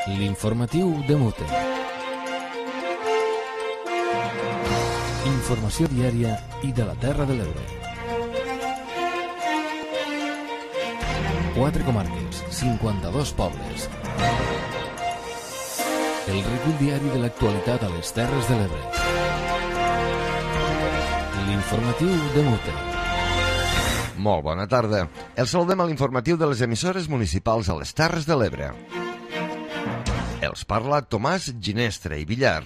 L'informatiu de Mute. Informació diària i de la Terra de l'Ebre. 4 comarques, 52 pobles. El recull diari de l'actualitat a les Terres de l'Ebre. L'informatiu de Mute. Molt bona tarda. El saludem a l'informatiu de les emissores municipals a les Terres de l'Ebre. Els parla Tomàs Ginestre i Villar.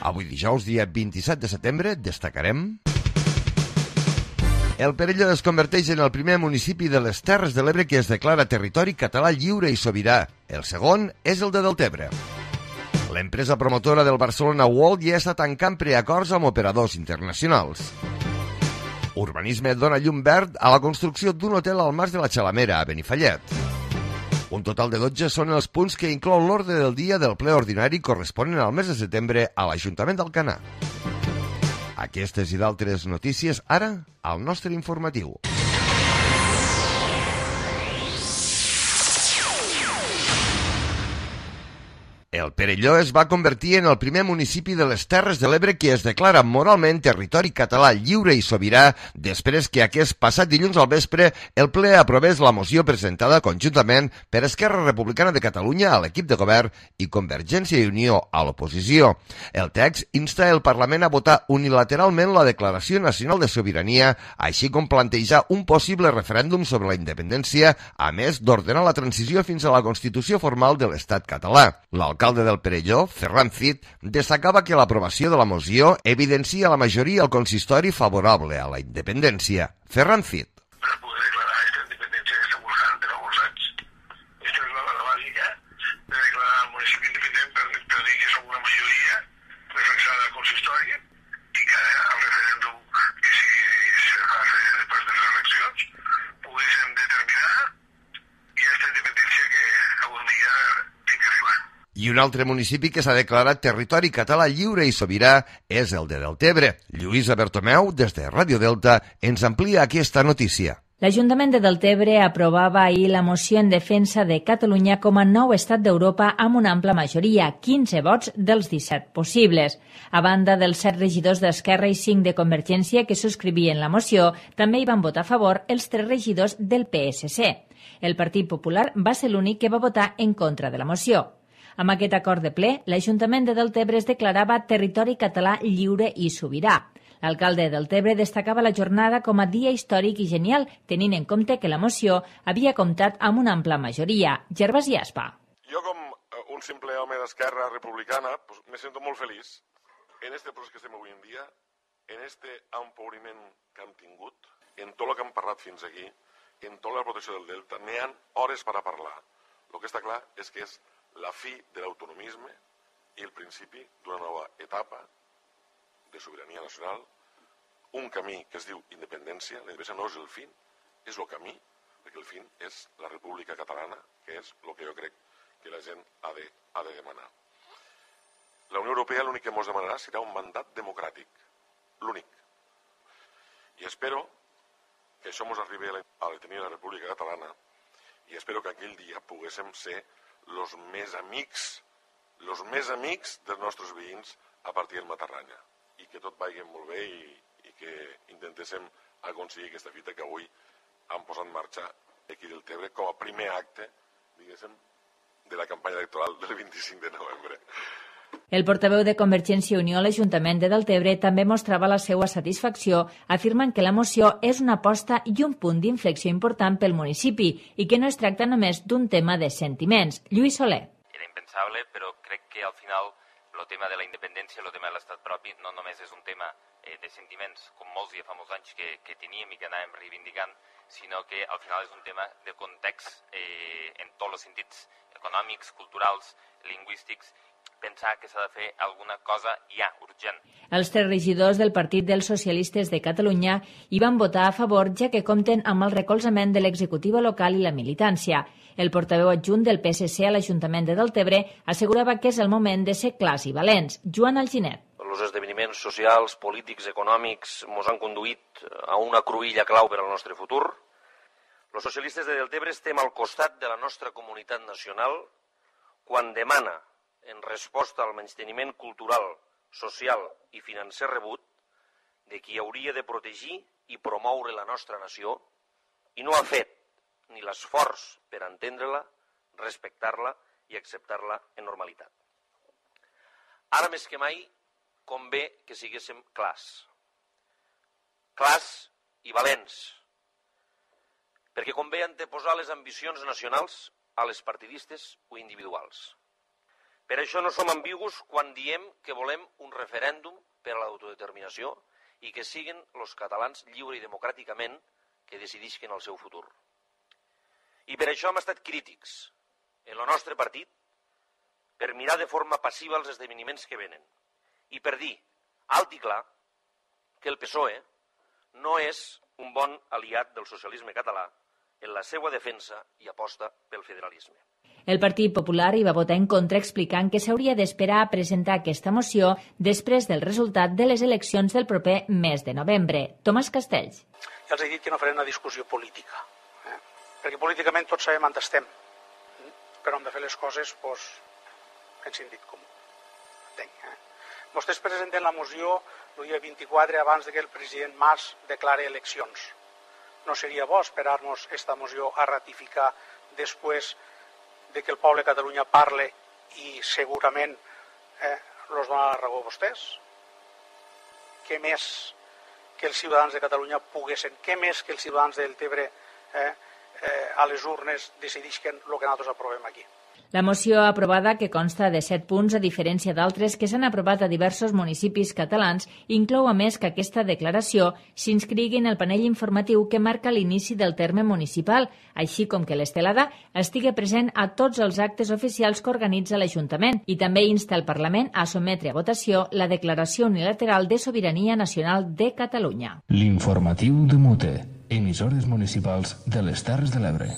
Avui dijous, dia 27 de setembre, destacarem... El Perelló es converteix en el primer municipi de les Terres de l'Ebre que es declara territori català lliure i sobirà. El segon és el de Deltebre. L'empresa promotora del Barcelona World ja està tancant preacords amb operadors internacionals. Urbanisme dona llum verd a la construcció d'un hotel al Mas de la Xalamera, a Benifallet. Un total de 12 són els punts que inclou l'ordre del dia del ple ordinari corresponent al mes de setembre a l'Ajuntament d'Alcanar. Aquestes i d'altres notícies ara al nostre informatiu. El Perelló es va convertir en el primer municipi de les Terres de l'Ebre que es declara moralment territori català lliure i sobirà després que aquest passat dilluns al vespre el ple aprovés la moció presentada conjuntament per Esquerra Republicana de Catalunya a l'equip de govern i Convergència i Unió a l'oposició. El text insta el Parlament a votar unilateralment la Declaració Nacional de Sobirania, així com plantejar un possible referèndum sobre la independència, a més d'ordenar la transició fins a la Constitució formal de l'Estat català. L'alcalde del Perelló, Ferran Cid, destacava que l'aprovació de la moció evidencia la majoria al consistori favorable a la independència. Ferran Cid. Per poder declarar aquesta independència que estem buscant per alguns anys. Aquesta és la base bàsica de declarar el municipi independent per dir que som una majoria reflexada al consistori i que al referèndum que si se fa després de les eleccions poguéssim determinar i aquesta independència que algun dia té que arribar. I un altre municipi que s'ha declarat territori català lliure i sobirà és el de Deltebre. Lluïsa Bertomeu, des de Ràdio Delta, ens amplia aquesta notícia. L'Ajuntament de Deltebre aprovava ahir la moció en defensa de Catalunya com a nou estat d'Europa amb una ampla majoria, 15 vots dels 17 possibles. A banda dels 7 regidors d'Esquerra i 5 de Convergència que subscrivien la moció, també hi van votar a favor els 3 regidors del PSC. El Partit Popular va ser l'únic que va votar en contra de la moció. Amb aquest acord de ple, l'Ajuntament de Deltebre es declarava territori català lliure i sobirà. L'alcalde de Deltebre destacava la jornada com a dia històric i genial, tenint en compte que la moció havia comptat amb una ampla majoria. Gervasi Aspa. Jo, com un simple home d'Esquerra Republicana, me sento molt feliç en este procés que estem avui en dia, en este empobriment que hem tingut, en tot el que hem parlat fins aquí, en tota la protecció del Delta. N'hi ha hores per a parlar. El que està clar és que és la fi de l'autonomisme i el principi d'una nova etapa de sobirania nacional, un camí que es diu independència. La independència no és el fin, és el camí, perquè el fin és la República Catalana, que és el que jo crec que la gent ha de demanar. La Unió Europea l'únic que ens demanarà serà un mandat democràtic, l'únic. I espero que això ens arribi a tenir la República Catalana i espero que aquell dia poguéssim ser els més amics dels nostres veïns a partir del Matarranya i que tot vagi molt bé i que intentéssim aconseguir aquesta fita que avui han posat en marxa aquí del Tebre com a primer acte, diguéssim, de la campanya electoral del 25 de novembre. El portaveu de Convergència i Unió a l'Ajuntament de Deltebre també mostrava la seva satisfacció, afirmant que la moció és una aposta i un punt d'inflexió important pel municipi i que no es tracta només d'un tema de sentiments. Lluís Soler. Era impensable, però crec que al final el tema de la independència, el tema de l'estat propi, no només és un tema de sentiments, com molts ja fa molts anys que teníem i que anàvem reivindicant, sinó que al final és un tema de context en tots els sentits econòmics, culturals, lingüístics, pensar que s'ha de fer alguna cosa ja, urgent. Els 3 regidors del Partit dels Socialistes de Catalunya hi van votar a favor, ja que compten amb el recolzament de l'executiva local i la militància. El portaveu adjunt del PSC a l'Ajuntament de Deltebre assegurava que és el moment de ser clars i valents. Joan Alginet. Els esdeveniments socials, polítics, econòmics ens han conduït a una cruïlla clau per al nostre futur. Els socialistes de Deltebre estem al costat de la nostra comunitat nacional quan demana, en resposta al menysteniment cultural, social i financer rebut, de qui hauria de protegir i promoure la nostra nació, i no ha fet ni l'esforç per entendre-la, respectar-la i acceptar-la en normalitat. Ara més que mai convé que siguéssim clars i valents, perquè convé anteposar les ambicions nacionals a les partidistes o individuals. Per això no som ambigus quan diem que volem un referèndum per a l'autodeterminació i que siguin els catalans lliure i democràticament que decidisquen el seu futur. I per això hem estat crítics en el nostre partit per mirar de forma passiva els esdeveniments que venen i per dir alt i clar que el PSOE no és un bon aliat del socialisme català en la seva defensa i aposta pel federalisme. El Partit Popular hi va votar en contra explicant que s'hauria d'esperar a presentar aquesta moció després del resultat de les eleccions del proper mes de novembre. Tomàs Castells. Ja els he dit que no faré una discussió política, perquè políticament tots sabem on estem, però hem de fer les coses en sentit comú. Vostès presenten la moció el dia 24 abans que el president Mas declare eleccions. No seria bo esperar-nos aquesta moció a ratificar després de que el poble de Catalunya parle i segurament els dona la raó a vostès? Què més que els ciutadans de Catalunya poguessin, què més que els ciutadans del Tebre a les urnes decidisquen el que nosaltres aprovem aquí? La moció aprovada, que consta de 7 punts, a diferència d'altres que s'han aprovat a diversos municipis catalans, inclou a més que aquesta declaració s'inscrigui en el panell informatiu que marca l'inici del terme municipal, així com que l'estelada estigui present a tots els actes oficials que organitza l'Ajuntament i també insta el Parlament a sotmetre a votació la Declaració Unilateral de Sobirania Nacional de Catalunya. L'informatiu de Mute, emissores municipals de les Terres de l'Ebre.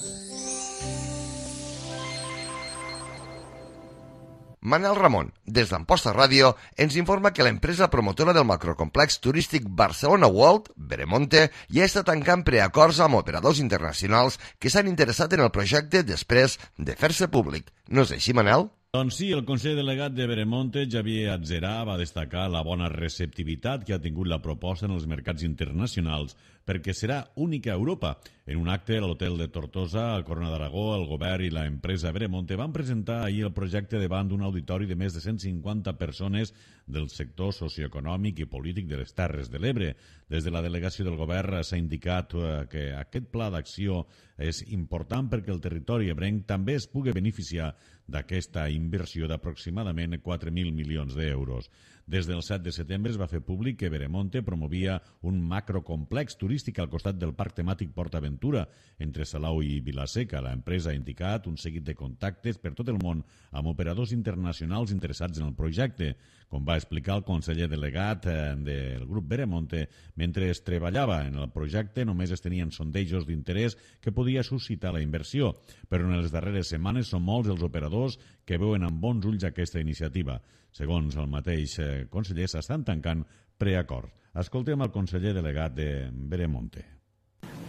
Manel Ramon, des d'Amposta Ràdio, ens informa que l'empresa promotora del macrocomplex turístic Barcelona World, Veremonte, ja està tancant preacords amb operadors internacionals que s'han interessat en el projecte després de fer-se públic. No és així, Manel? Doncs sí, el conseller delegat de Veremonte, Xavier Atzerà, va destacar la bona receptivitat que ha tingut la proposta en els mercats internacionals perquè serà única a Europa. En un acte a l'hotel de Tortosa, al Corona d'Aragó, el govern i l'empresa Veremonte van presentar ahir el projecte davant d'un auditori de més de 150 persones del sector socioeconòmic i polític de les Terres de l'Ebre. Des de la delegació del govern s'ha indicat que aquest pla d'acció és important perquè el territori ebrenc també es pugui beneficiar d'aquesta inversió d'aproximadament 4.000 milions d'euros. Des del 7 de setembre es va fer públic que Veremonte promovia un macrocomplex turístic al costat del parc temàtic PortAventura, entre Salau i Vila-seca. L'empresa ha indicat un seguit de contactes per tot el món amb operadors internacionals interessats en el projecte. Com va explicar el conseller delegat del grup Veremonte, mentre es treballava en el projecte només es tenien sondejos d'interès que podia suscitar la inversió, però en les darreres setmanes són molts els operadors que veuen amb bons ulls aquesta iniciativa. Segons el mateix conseller, s'estan tancant preacords. Escoltem el conseller delegat de Veremonte.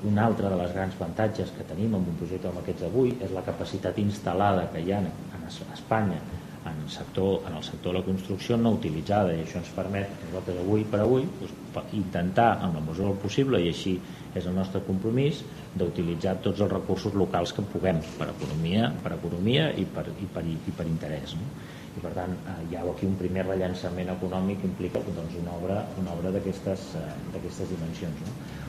Una altra de les grans avantatges que tenim en un projecte com aquest d'avui és la capacitat instal·lada que hi ha a Espanya en el sector de la construcció no utilitzada, i això ens permet nosaltres avui per avui intentar en la mesura del possible, i així és el nostre compromís, d'utilitzar tots els recursos locals que puguem per economia i per interès, no? I per tant hi ha aquí un primer rellançament econòmic que implica una obra d'aquestes dimensions, no?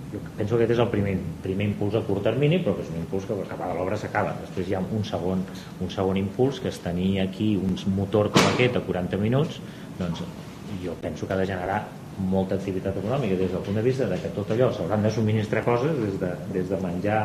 Jo penso que aquest és el primer impuls a curt termini, però que és un impuls que acabada l'obra s'acaba. Després hi ha un segon impuls, que és tenir aquí un motor com aquest a 40 minuts, doncs jo penso que ha de generar molta activitat econòmica des del punt de vista de que tot allò s'hauran de subministrar coses, des de menjar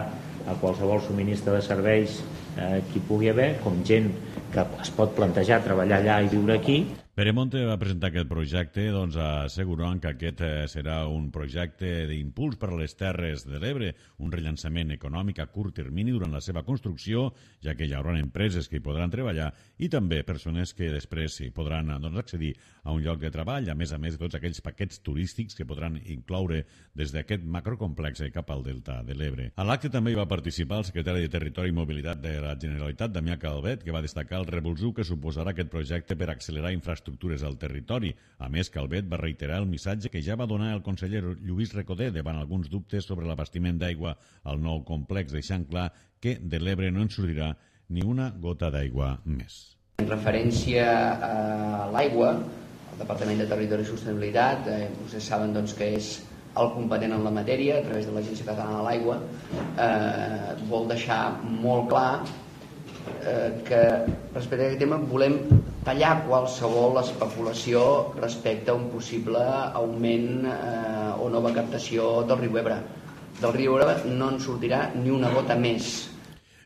a qualsevol subministre de serveis que hi pugui haver, com gent que es pot plantejar treballar allà i viure aquí. Veremonte va presentar aquest projecte assegurant que aquest serà un projecte d'impuls per a les Terres de l'Ebre, un rellançament econòmic a curt termini durant la seva construcció, ja que hi haurà empreses que hi podran treballar i també persones que després hi podran accedir a un lloc de treball, a més de tots aquells paquets turístics que podran incloure des d'aquest macrocomplex cap al Delta de l'Ebre. A l'acte també hi va participar el secretari de Territori i Mobilitat de la Generalitat, Damià Calvet, que va destacar el revulsiu que suposarà aquest projecte per accelerar infraestructures al territori. A més, Calvet va reiterar el missatge que ja va donar el conseller Lluís Recoder davant alguns dubtes sobre l'abastiment d'aigua al nou complex, deixant clar que de l'Ebre no en sortirà ni una gota d'aigua més. En referència a l'aigua, el Departament de Territori i Sostenibilitat, vostès saben que és el competent en la matèria a través de l'Agència Catalana de l'Aigua, vol deixar molt clar que respecte a aquest tema volem tallar qualsevol especulació respecte a un possible augment o nova captació del riu Ebre. Del riu Ebre no en sortirà ni una gota més.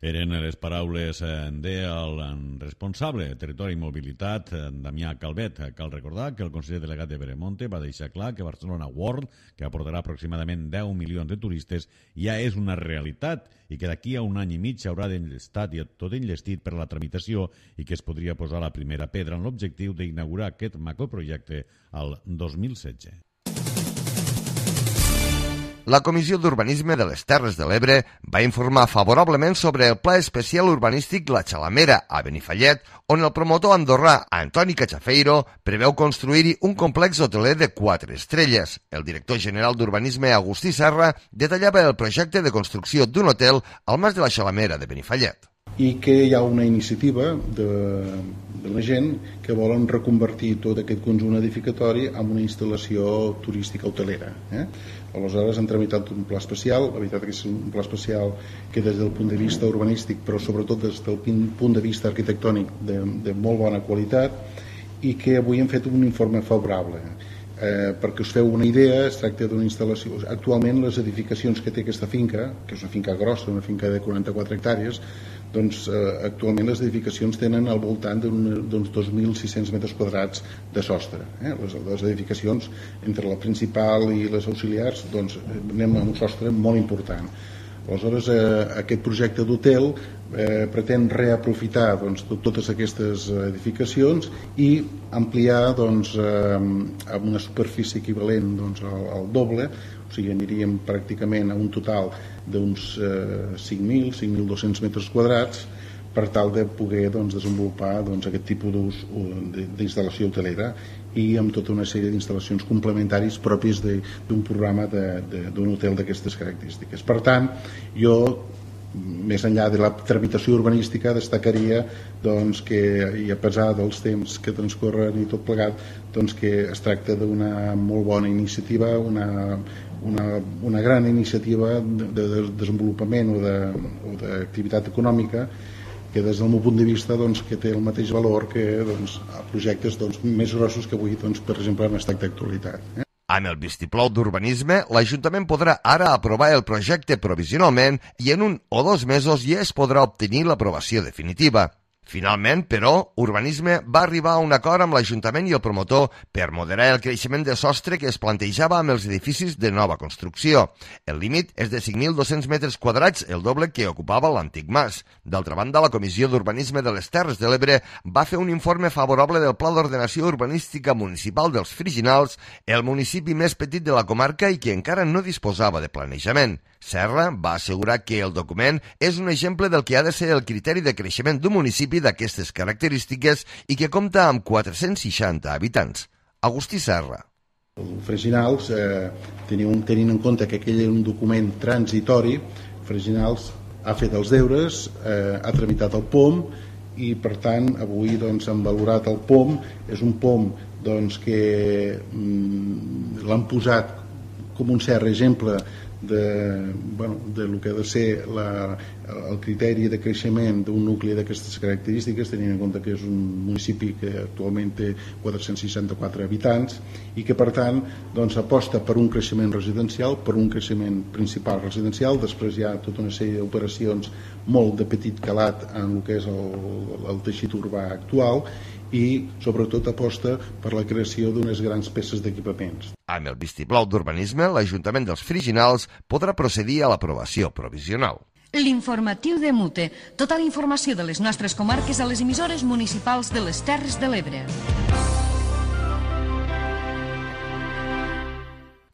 Eren les paraules del responsable de Territori i Mobilitat, Damià Calvet. Cal recordar que el conseller delegat de Veremonte va deixar clar que Barcelona World, que aportarà aproximadament 10 milions de turistes, ja és una realitat i que d'aquí a un any i mig haurà estat tot enllestit per a la tramitació i que es podria posar la primera pedra en l'objectiu d'inaugurar aquest macroprojecte al 2016. La Comissió d'Urbanisme de les Terres de l'Ebre va informar favorablement sobre el Pla Especial Urbanístic La Xalamera a Benifallet, on el promotor andorrà Antoni Cachafeiro preveu construir-hi un complex hoteler de 4 estrelles. El director general d'Urbanisme, Agustí Serra, detallava el projecte de construcció d'un hotel al Mas de la Xalamera de Benifallet. I que hi ha una iniciativa de la gent que volen reconvertir tot aquest conjunt edificatori en una instal·lació turística hotelera. Aleshores han tramitat un pla especial, la veritat que és un pla especial que des del punt de vista urbanístic, però sobretot des del punt de vista arquitectònic de molt bona qualitat, i que avui hem fet un informe favorable. Perquè us feu una idea, es tracta d'una instal·lació. Actualment les edificacions que té aquesta finca, que és una finca grossa, una finca de 44 hectàrees, doncs actualment les edificacions tenen al voltant d'uns 2.600 metres quadrats de sostre. Les edificacions entre la principal i les auxiliars doncs anem a un sostre molt important. Aleshores aquest projecte d'hotel pretén reaprofitar totes aquestes edificacions i ampliar amb una superfície equivalent al doble, o sigui aniríem pràcticament a un total d'uns 5.200 metres quadrats per tal de poder desenvolupar aquest tipus d'instal·lació hotelera i amb tota una sèrie d'instal·lacions complementaris pròpies d'un programa d'un hotel d'aquestes característiques. Per tant, jo, més enllà de la tramitació urbanística, destacaria que, i a pesar dels temps que transcorren i tot plegat, que es tracta d'una molt bona iniciativa, una gran iniciativa de desenvolupament o d'activitat econòmica que des del meu punt de vista que té el mateix valor que projectes més grossos que avui, per exemple, han estat d'actualitat. Amb el vistiplau d'urbanisme, l'Ajuntament podrà ara aprovar el projecte provisionalment i en 1 o 2 mesos ja es podrà obtenir l'aprovació definitiva. Finalment, però, Urbanisme va arribar a un acord amb l'Ajuntament i el promotor per moderar el creixement de sostre que es plantejava amb els edificis de nova construcció. El límit és de 5.200 metres quadrats, el doble que ocupava l'antic mas. D'altra banda, la Comissió d'Urbanisme de les Terres de l'Ebre va fer un informe favorable del Pla d'Ordenació Urbanística Municipal dels Friginals, el municipi més petit de la comarca i que encara no disposava de planejament. Serra va assegurar que el document és un exemple del que ha de ser el criteri de creixement d'un municipi d'aquestes característiques i que compta amb 460 habitants. Agustí Serra. El Freginals, tenint en compte que aquell era un document transitori, Freginals ha fet els deures, ha tramitat el POM i per tant avui han valorat el POM. És un POM que l'han posat com un cert exemple de lo que ha de ser el criteri de creixement d'un nucli d'aquestes característiques, tenint en compte que és un municipi que actualment té 464 habitants i que per tant aposta per un creixement residencial, per un creixement principal residencial. Després hi ha tota una sèrie d'operacions molt de petit calat en el que és el teixit urbà actual i sobretot aposta per la creació d'unes grans peces d'equipaments. Amb el vistiplau d'urbanisme, l'Ajuntament dels Friginals podrà procedir a l'aprovació provisional. L'informatiu de Mute. Tota la informació de les nostres comarques a les emissores municipals de les Terres de l'Ebre.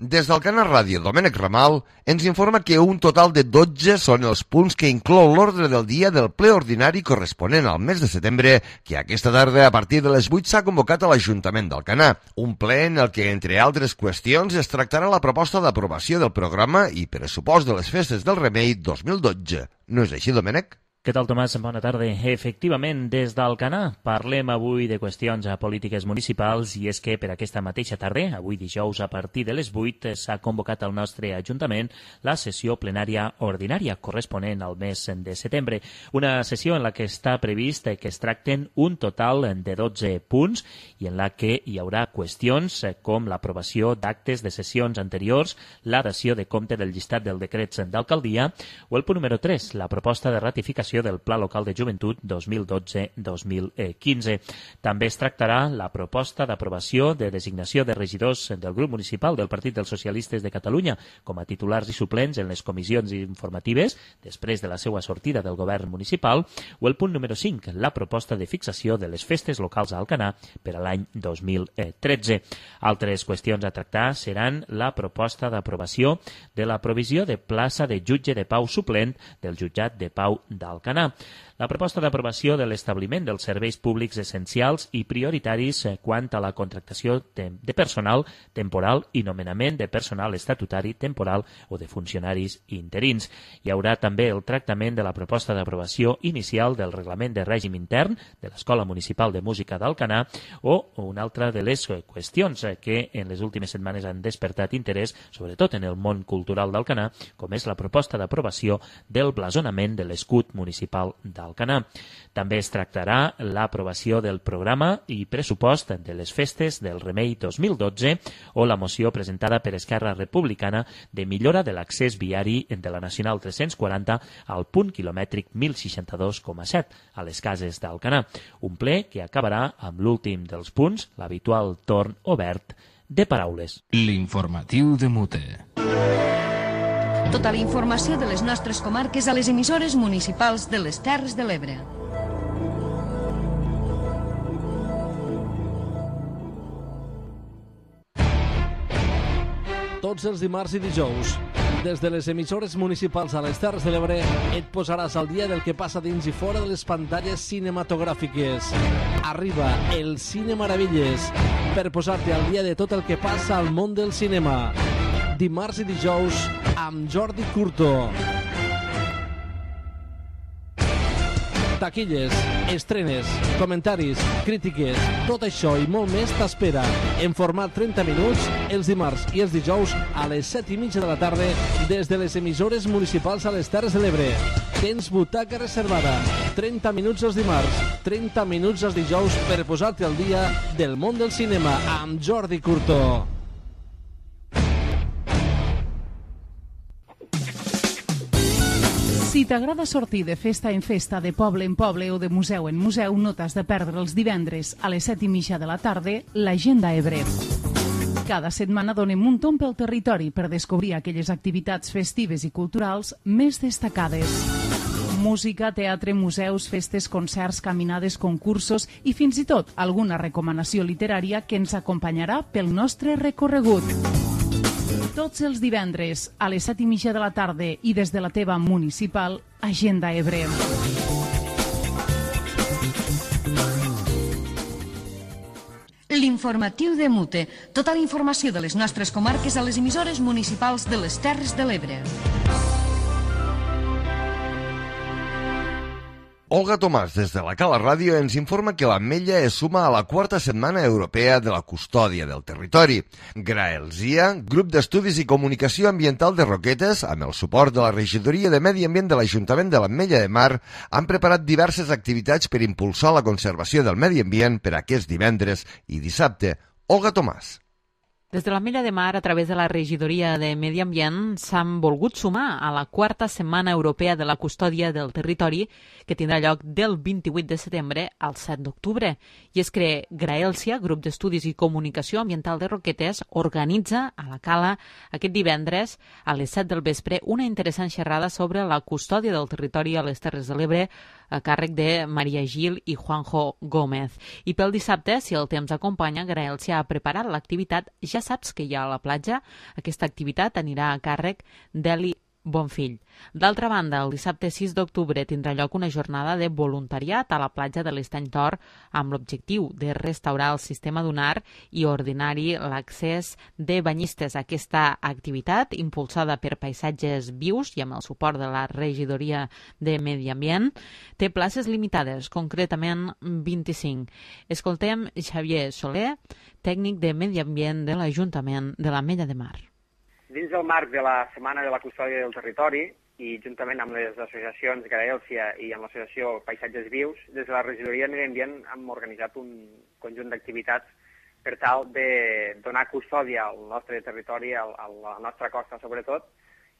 Des del Canal Ràdio, Domènec Ramal ens informa que un total de 12 són els punts que inclou l'ordre del dia del ple ordinari corresponent al mes de setembre, que aquesta tarda a partir de les 8 s'ha convocat a l'Ajuntament d'Alcanar. Un ple en el que, entre altres qüestions, es tractarà la proposta d'aprovació del programa i pressupost de les festes del Remei 2012. No és així, Domènec? Què tal, Tomàs? Bona tarda. Efectivament, des d'Alcanar parlem avui de qüestions a polítiques municipals i és que per aquesta mateixa tarda, avui dijous a partir de les 8, s'ha convocat al nostre Ajuntament la sessió plenària ordinària corresponent al mes de setembre. Una sessió en la que està previst que es tracten un total de 12 punts i en la que hi haurà qüestions com l'aprovació d'actes de sessions anteriors, la dació de compte del llistat dels decrets d'alcaldia o el punt número 3, la proposta de ratificació del Pla Local de Joventut 2012-2015. També es tractarà la proposta d'aprovació de designació de regidors del grup municipal del Partit dels Socialistes de Catalunya com a titulars i suplents en les comissions informatives després de la seva sortida del govern municipal o el punt número 5, la proposta de fixació de les festes locals a Alcanar per a l'any 2013. Altres qüestions a tractar seran la proposta d'aprovació de la provisió de plaça de jutge de pau suplent del jutjat de pau d'Alcanar. La proposta d'aprovació de l'establiment dels serveis públics essencials i prioritaris quant a la contractació de personal temporal i nomenament de personal estatutari temporal o de funcionaris interins. Hi haurà també el tractament de la proposta d'aprovació inicial del reglament de règim intern de l'Escola Municipal de Música d'Alcanar o una altra de les qüestions que en les últimes setmanes han despertat interès, sobretot en el món cultural d'Alcanar, com és la proposta d'aprovació del blasonament de l'escut municipal d'Alcanar. També es tractarà l'aprovació del programa i pressupost de les festes del Remei 2012 o la moció presentada per Esquerra Republicana de millora de l'accés viari de la Nacional 340 al punt quilomètric 1062,7 a les cases d'Alcanar. Un ple que acabarà amb l'últim dels punts, l'habitual torn obert de paraules. L'informatiu de Mute. Tota la informació de les nostres comarques a les emissores municipals de les Terres de l'Ebre. Tots els dimarts i dijous, des de les emissores municipals a les Terres de l'Ebre, et posaràs al dia del que passa dins i fora de les pantalles cinematogràfiques. Arriba el Cine Meravelles per posar-te al dia de tot el que passa al món del cinema. Dimarts i dijous amb Jordi Curto. Taquilles, estrenes, comentaris, crítiques, tot això i molt més t'espera en format 30 minuts els dimarts i els dijous a les 7:30 de la tarda des de les emissores municipals a les Terres de l'Ebre. Tens butaca reservada, 30 minuts els dimarts, 30 minuts els dijous per posar-te al dia del món del cinema amb Jordi Curto. Si t'agrada sortir de festa en festa, de poble en poble o de museu en museu, no t'has de perdre els divendres a les 7:30 de la tarda l'Agenda Ebre. Cada setmana donem un tomb pel territori per descobrir aquelles activitats festives i culturals més destacades. Música, teatre, museus, festes, concerts, caminades, concursos i fins i tot alguna recomanació literària que ens acompanyarà pel nostre recorregut. Tots els divendres a les 7:30 de la tarda i des de la teva municipal, Agenda Ebre. L'informatiu de Mute. Tota la informació de les nostres comarques a les emissores municipals de les Terres de l'Ebre. Olga Tomàs, des de la Cala Ràdio, ens informa que l'Ametlla es suma a la 4a Setmana Europea de la Custòdia del Territori. Graelsia, grup d'estudis i comunicació ambiental de Roquetes, amb el suport de la Regidoria de Medi Ambient de l'Ajuntament de l'Ametlla de Mar, han preparat diverses activitats per impulsar la conservació del medi ambient per aquest divendres i dissabte. Olga Tomàs. Des de l'Ametlla de Mar, a través de la Regidoria de Medi Ambient, s'han volgut sumar a la 4a Setmana Europea de la Custòdia del Territori, que tindrà lloc del 28 de setembre al 7 d'octubre. I és que Graelsia, Grup d'Estudis i Comunicació Ambiental de Roquetes, organitza a la Cala aquest divendres a les 7 del vespre una interessant xerrada sobre la custòdia del territori a les Terres de l'Ebre a càrrec de Maria Gil i Juanjo Gómez. I pel dissabte, si el temps acompanya, Graelsia ha preparat l'activitat Ja saps que hi ha a la platja. Aquesta activitat anirà a càrrec d'Eli Bonfill. D'altra banda, el dissabte 6 d'octubre tindrà lloc una jornada de voluntariat a la platja de l'Estany Tor amb l'objectiu de restaurar el sistema dunar i ordinar-hi l'accés de banyistes. Aquesta activitat, impulsada per Paisatges Vius i amb el suport de la Regidoria de Medi Ambient, té places limitades, concretament 25. Escoltem Xavier Soler, tècnic de Medi Ambient de l'Ajuntament de l'Ametlla de Mar. Dins del marc de la Setmana de la Custòdia del Territori i juntament amb les associacions Graelsia i amb l'associació Paisatges Vius, des de la Regidoria de Medi Ambient hem organitzat un conjunt d'activitats per tal de donar custòdia al nostre territori, a la nostra costa sobretot,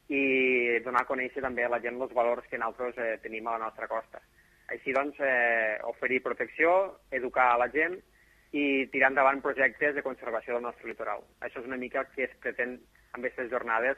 i donar a conèixer també a la gent els valors que nosaltres tenim a la nostra costa. Així doncs, oferir protecció, educar a la gent i tirar endavant projectes de conservació del nostre litoral. Això és una mica que es pretén amb aquestes jornades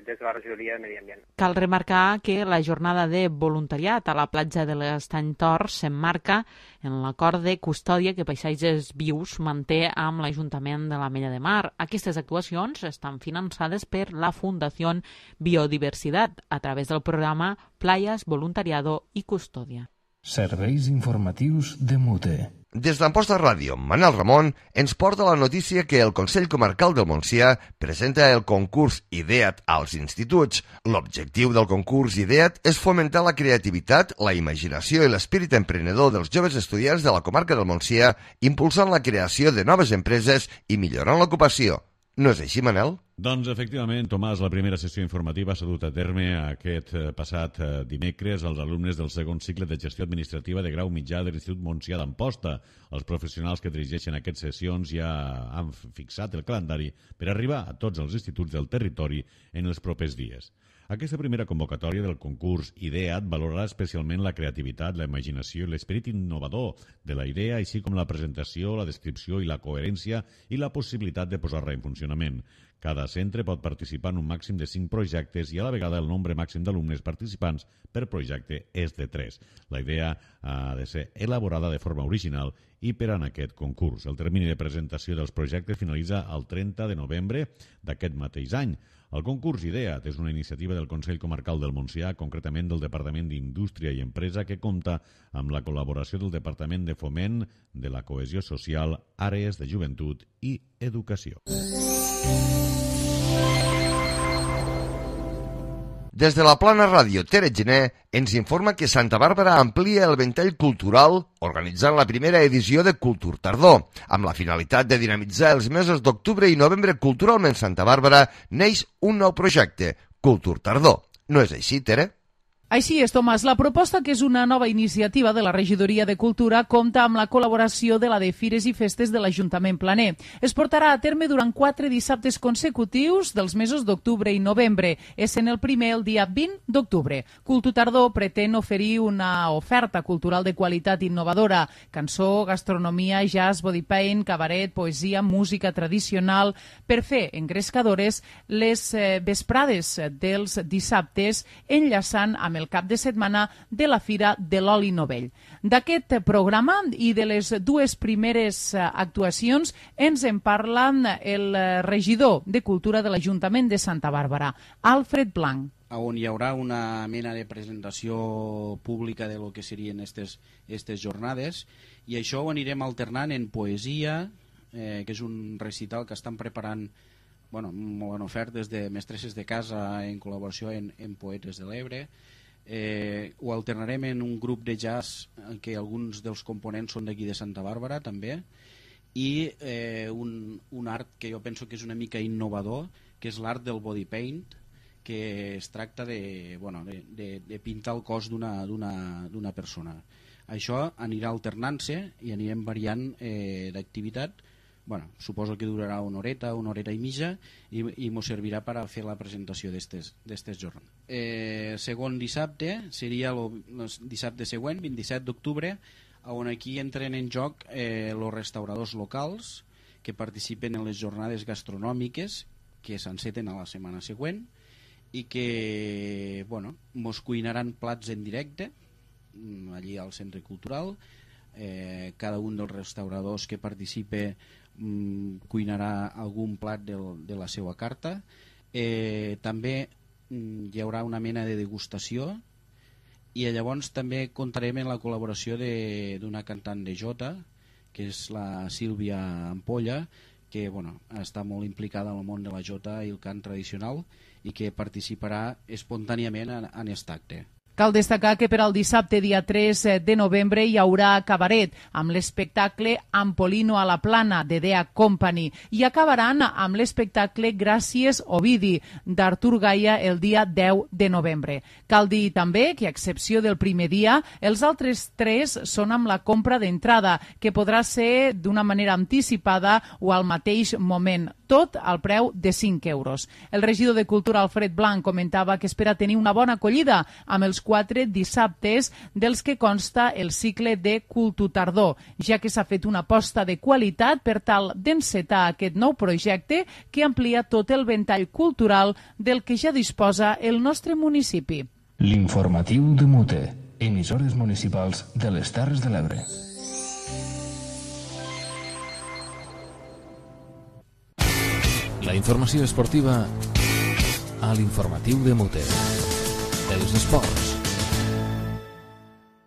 des de la Regidoria de Medi Ambient. Cal remarcar que la jornada de voluntariat a la platja de l'Estany Tor s'emmarca en l'acord de custòdia que Paisatges Vius manté amb l'Ajuntament de l'Ametlla de Mar. Aquestes actuacions estan finançades per la Fundació Biodiversitat a través del programa Playas, Voluntariado i Custòdia. Serveis informatius de Mute. Des d'Amposta Ràdio, Manel Ramon ens porta la notícia que el Consell Comarcal del Montsià presenta el concurs IDEAT als instituts. L'objectiu del concurs IDEAT és fomentar la creativitat, la imaginació i l'espírit emprenedor dels joves estudiants de la comarca del Montsià, impulsant la creació de noves empreses i millorant l'ocupació. No és així, Manel? Doncs, efectivament, Tomàs, la primera sessió informativa s'ha dut a terme aquest passat dimecres als alumnes del segon cicle de gestió administrativa de grau mitjà de l'Institut Montsià d'Amposta. Els professionals que dirigeixen aquestes sessions ja han fixat el calendari per arribar a tots els instituts del territori en els propers dies. Aquesta primera convocatòria del concurs IDEAT valorarà especialment la creativitat, la imaginació i l'esperit innovador de la idea, així com la presentació, la descripció i la coherència i la possibilitat de posar-la en funcionament. Cada centre pot participar en un màxim de 5 projectes i a la vegada el nombre màxim d'alumnes participants per projecte és de 3. La idea ha de ser elaborada de forma original i per en aquest concurs. El termini de presentació dels projectes finalitza el 30 de novembre d'aquest mateix any. El concurs IDEAT és una iniciativa del Consell Comarcal del Montsià, concretament del Departament d'Indústria i Empresa, que compta amb la col·laboració del Departament de Foment, de la Cohesió Social, Àrees de Joventut i Educació. Des de la Plana Ràdio, Tere Gené ens informa que Santa Bàrbara amplia el ventall cultural organitzant la primera edició de Cultur Tardor. Amb la finalitat de dinamitzar els mesos d'octubre i novembre culturalment Santa Bàrbara, neix un nou projecte, Cultur Tardor. No és així, Tere? Així és, Tomàs. La proposta, que és una nova iniciativa de la Regidoria de Cultura, compta amb la col·laboració de la de Fires i Festes de l'Ajuntament Planer. Es portarà a terme durant 4 dissabtes consecutius dels mesos d'octubre i novembre. És en el primer el dia 20 d'octubre. Cultur Tardor pretén oferir una oferta cultural de qualitat innovadora. Cançó, gastronomia, jazz, body paint, cabaret, poesia, música tradicional, per fer engrescadores les vesprades dels dissabtes, enllaçant amb el cap de setmana de la Fira de l'Oli Novell. D'aquest programa i de les 2 primeres actuacions ens en parla el regidor de Cultura de l'Ajuntament de Santa Bàrbara, Alfred Blanc. On hi haurà una mena de presentació pública de lo que serien aquestes jornades, i això ho anirem alternant en poesia, que és un recital que estan preparant molt ben ofertes de mestresses de casa en col·laboració en Poetes de l'Ebre. Ho alternarem en un grup de jazz que alguns dels components són d'aquí de Santa Bàrbara també, i un art que jo penso que és una mica innovador, que és l'art del body paint, que es tracta de pintar el cos d'una persona. Això anirà alternant-se i anirem variant d'activitat bueno, suposo que durarà una horeta i mitja i mos servirà per a fer la presentació d'estes jornades. Segon dissabte seria el dissabte següent, 27 d'octubre, on aquí entren en joc els restauradors locals que participen en les jornades gastronòmiques que s'enceten a la setmana següent i que mos cuinaran plats en directe allí al Centre Cultural. Cada un dels restauradors que participe cuinarà algun plat de la seva carta. També hi haurà una mena de degustació i llavors també contarem amb la col·laboració d'una cantant de jota, que és la Sílvia Ampolla, que està molt implicada en el món de la jota i el cant tradicional i que participarà espontàniament en aquest acte. Cal destacar que per al dissabte, dia 3 de novembre, hi haurà cabaret amb l'espectacle Ampolino a la Plana, de Dea Company, i acabaran amb l'espectacle Gràcies Ovidi, d'Artur Gaia, el dia 10 de novembre. Cal dir també que, a excepció del primer dia, els altres 3 són amb la compra d'entrada, que podrà ser d'una manera anticipada o al mateix moment, tot al preu de 5 euros. El regidor de Cultura, Alfred Blanc, comentava que espera tenir una bona acollida amb els 4 dissabtes dels que consta el cicle de Cultutardor, ja que s'ha fet una aposta de qualitat per tal d'encetar aquest nou projecte que amplia tot el ventall cultural del que ja disposa el nostre municipi. L'informatiu de Mute, emissores municipals de les Terres de l'Ebre. La informació esportiva a l'informatiu de Mute. Els esports.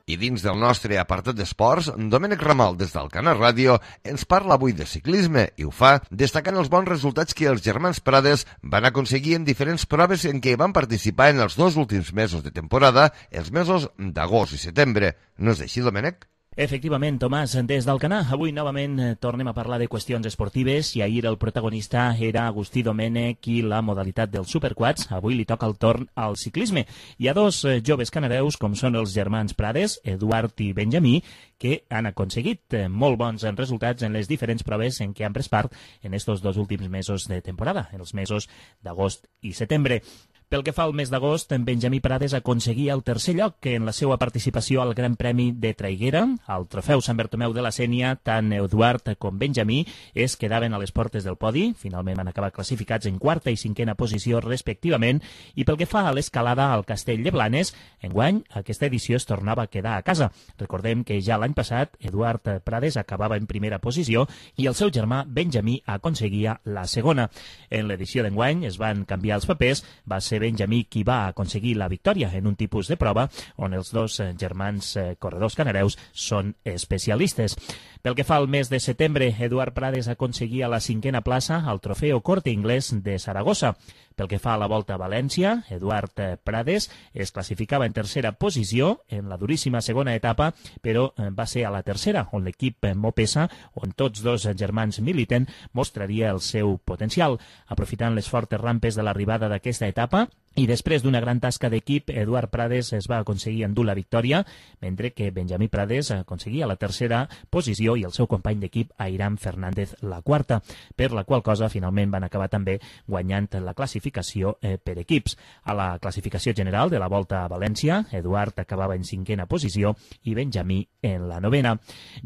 I dins del nostre apartat d'esports, Domènec Ramal, des d'Alcana Ràdio, ens parla avui de ciclisme i ho fa destacant els bons resultats que els germans Prades van aconseguir en diferents proves en què van participar en els 2 últims mesos de temporada, els mesos d'agost i setembre. No és així, Domènec? Efectivament, Tomàs, des d'Alcanar, avui novament tornem a parlar de qüestions esportives i ahir el protagonista era Agustí Domènech i la modalitat dels superquads. Avui li toca el torn al ciclisme. Hi ha 2 joves canareus, com són els germans Prades, Eduard i Benjamí, que han aconseguit molt bons resultats en les diferents proves en què han pres part en estos 2 últims mesos de temporada, en els mesos d'agost i setembre. Pel que fa al mes d'agost, en Benjamí Prades aconseguia el 3è lloc en la seva participació al Gran Premi de Traiguera. Al trofeu Sant Bartomeu de la Sénia, tant Eduard com Benjamí es quedaven a les portes del podi. Finalment van acabar classificats en 4a i 5a posició respectivament. I pel que fa a l'escalada al Castell de Blanes, enguany aquesta edició es tornava a quedar a casa. Recordem que ja l'any passat Eduard Prades acabava en primera posició i el seu germà Benjamí aconseguia la segona. En l'edició d'enguany es van canviar els papers, va ser Benjamí qui va aconseguir la victòria en un tipus de prova on els 2 germans corredors canareus són especialistes. Pel que fa al mes de setembre, Eduard Prades aconseguia la 5a plaça al Trofeo Corte Inglés de Saragossa. Pel que fa a la Volta a València, Eduard Prades es classificava en 3a posició en la duríssima segona etapa, però va ser a la 3a, on l'equip Mopesa, on tots 2 germans militen, mostraria el seu potencial. Aprofitant les fortes rampes de l'arribada d'aquesta etapa, i després d'una gran tasca d'equip, Eduard Prades es va aconseguir endur la victòria, mentre que Benjamí Prades aconseguia la 3a posició i el seu company d'equip, Airam Fernández, la 4a, per la qual cosa finalment van acabar també guanyant la classificació per equips. A la classificació general de la Volta a València, Eduard acabava en 5a posició i Benjamí en la 9a.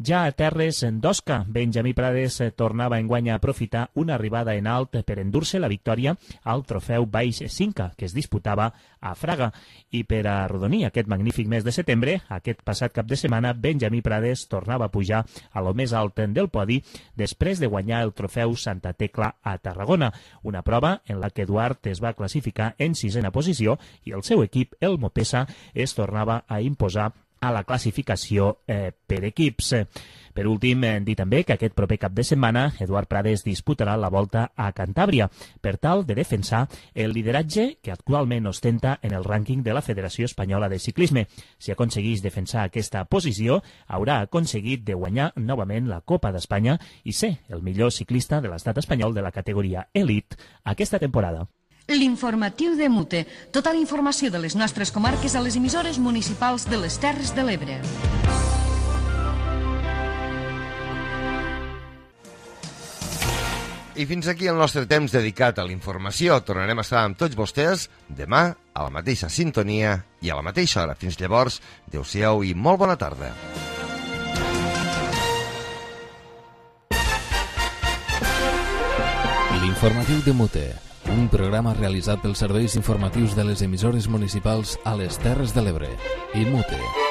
Ja a terres d'Osca, Benjamí Prades tornava enguany a aprofitar una arribada en alt per endur-se la victòria al trofeu Baix Cinca, que es disputava a Fraga. I per arrodonir aquest magnífic mes de setembre, aquest passat cap de setmana, Benjamí Prades tornava a pujar a lo més alt del podi després de guanyar el trofeu Santa Tecla a Tarragona, una prova en la que Eduard es va classificar en 6a posició i el seu equip, el Mopesa, es tornava a imposar a la classificació per equips. Per últim, dir també que aquest proper cap de setmana Eduard Prades disputarà la Volta a Cantàbria per tal de defensar el lideratge que actualment ostenta en el rànquing de la Federació Espanyola de Ciclisme. Si aconseguís defensar aquesta posició, haurà aconseguit de guanyar novament la Copa d'Espanya i ser el millor ciclista de l'estat espanyol de la categoria Elite aquesta temporada. L'informatiu de Mute. Tota la informació de les nostres comarques a les emissores municipals de les Terres de l'Ebre. I fins aquí el nostre temps dedicat a la informació. Tornarem a estar amb tots vostès demà a la mateixa sintonia i a la mateixa hora. Fins llavors, adeu-siau i molt bona tarda. L'informatiu de Mute, un programa realitzat pels serveis informatius de les emissores municipals a les Terres de l'Ebre i Mute.